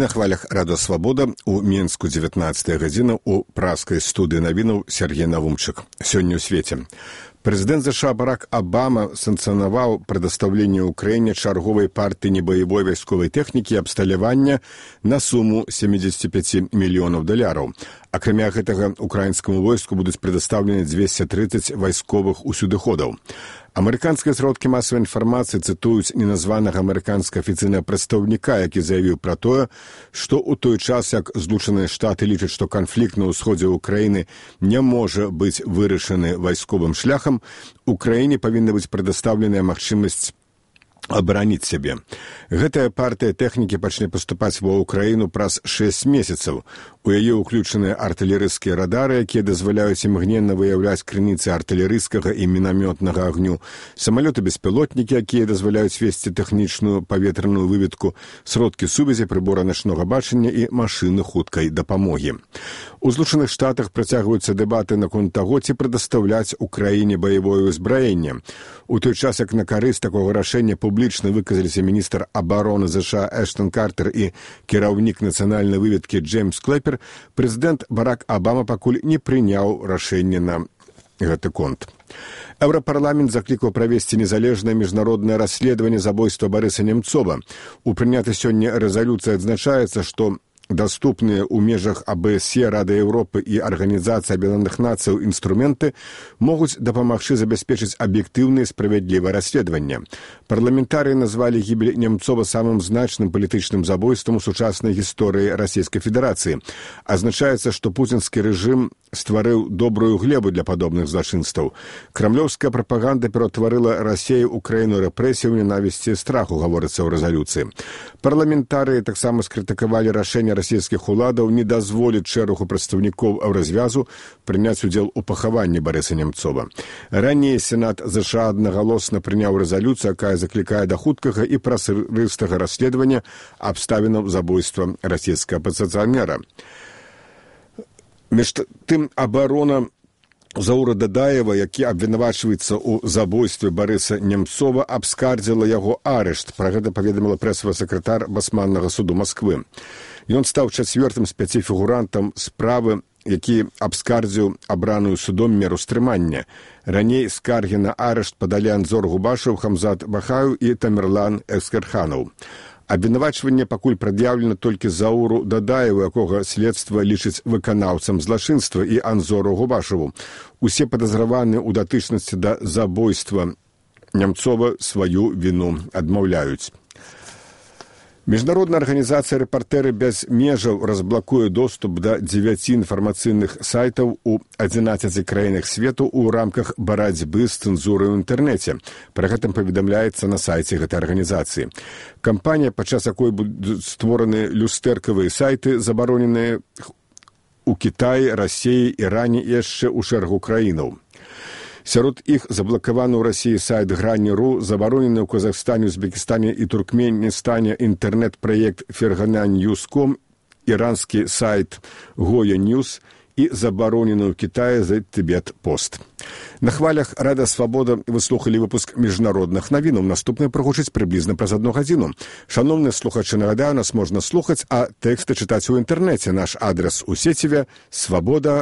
на хвалях Радо Свабода у Мінску 19 гадзіна у праскай студыі навінаў Сергей Навумчык. Сёння ў свеце. Прэзідэнт США Барак Абама санкцыянаваў прадастаўленне ўкраіне чарговай партыі небаявой вайсковай тэхнікі і абсталявання на суму $75 мільёнаў. Акрамя гэтага, украінскаму войску будуць прадастаўлены 230 вайсковых усюдыходаў. Амерыканскія сродкі масавай інфармацыі цытуюць неназванага амерыканскага афіцыйнага прадстаўніка, які заявіў пра тое, што ў той час, як Злучаныя Штаты лічаць, што канфлікт на ўсходзе ўкраіны не можа быць вырашаны вайсковым шляхам, Украіне павінна быць прадастаўленая магчымасць абараніць сябе. Гэтая партыя тэхнікі пачне паступаць ва ўкраіну праз 6 месяцаў. У яе ўключаныя артылерыйскія радары, якія дазваляюць імгненна выяўляць крыніцы артылерыйскага і мінамётнага агню, самалёты-беспілотнікі, якія дазваляюць весці тэхнічную паветраную выведку, сродкі сувязі, прыбора начнога бачання і машыны хуткай дапамогі. У Злучаных Штатах працягваюцца дэбаты наконт таго, ці прадастаўляць Украіне баявое ўзбраенне. У той час, як на карысць такога рашэння публічна выказаліся міністр абароны США Эштон Картер і кіраўнік нацыянальнай выведкі Джеймс Клэпер, прэзідэнт Барак Абама пакуль не прыняў рашэнне на гэты конт. Еўрапарламент заклікаў правесці незалежнае міжнароднае расследаванне забойства Барыса Немцова. У прынятай сёння рэзалюцыі адзначаецца, што даступныя ў межах АБСЕ, Рады Еўропы і Арганізацыі Аб'яднаных Нацыяў інструменты могуць дапамагчы забяспечыць аб'ектыўнае і справядлівае расследаванне. Парламентарыі назвалі гібель Немцова самым значным палітычным забойствам у сучаснай гісторыі Расійскай Федэрацыі. Адзначаецца, што пуцінскі рэжым стварыў добрую глебу для падобных злачынстваў. Крамлёўская прапаганда ператварыла Расею ў краіну рэпрэсіяў, ненавісці і страху, гаворыцца ў рэзалюцыі. Парламентарыі таксама скрытыкавалі рашэнне расійскіх уладаў не дазволіць шэрагу прадстаўнікоў развязу прыняць удзел у пахаванні Барыса Немцова. Раней Сенат ЗША аднагалосна прыняў рэзалюцыю, якая заклікае да хуткага і празрыстага расследавання абставінаў забойства расійскага апазіцыянера. Між тым, абарона Заура Дадаева, які абвінавачваецца ў забойстве Барыса Немцова, абскардзіла яго арышт. Пра гэта паведаміла прэсавы сакратар Басманнага суду Масквы. Ён стаў 4-м з 5 фігурантам справы, які абскардзіў абраную судом меру стрымання. Раней скаргі на арышт падалі Анзор Губашев, Хамзат Бахаю і Тамерлан Экскерханаў. Абвінавачванне пакуль прад'яўлена толькі Зауру Дадаеву, якога следства лічыць выканаўцам злачынства, і Анзору Губашеву. Усе падазраваныя ў датычнасці да забойства Немцова сваю віну адмаўляюць. Міжнародная арганізацыя «Рэпартэры без межаў» разблакуе доступ да 9 інфармацыйных сайтаў у 11 краінах свету ў рамках барацьбы з цэнзурай ў інтэрнэце. Пра гэтым паведамляецца на сайце гэтай арганізацыі. Кампанія, падчас якой будуць створаны люстэркавыя сайты, забароненыя ў Кітаі, Расіі, Іране і яшчэ ў шэрагу краінаў. Сярод іх заблакаваны ў Расіі сайт Грань.ру, забаронены ў Казахстане, Узбекістане і Туркменістане інтэрнэт-праект Ферганан.Ньюс.ком, іранскі сайт Гоя Ньюс і забаронены ў Кітаі за Тибет-Пост. На хвалях Рада Свабода вы слухалі выпуск міжнародных навінаў. Наступны прагучыць прыблізна праз 1 гадзіну. Шановныя слухачы, нагадаю, нас можна слухаць, а тэксты чытаць у інтэрнэце. Наш адрес у сеціве свабода.орг.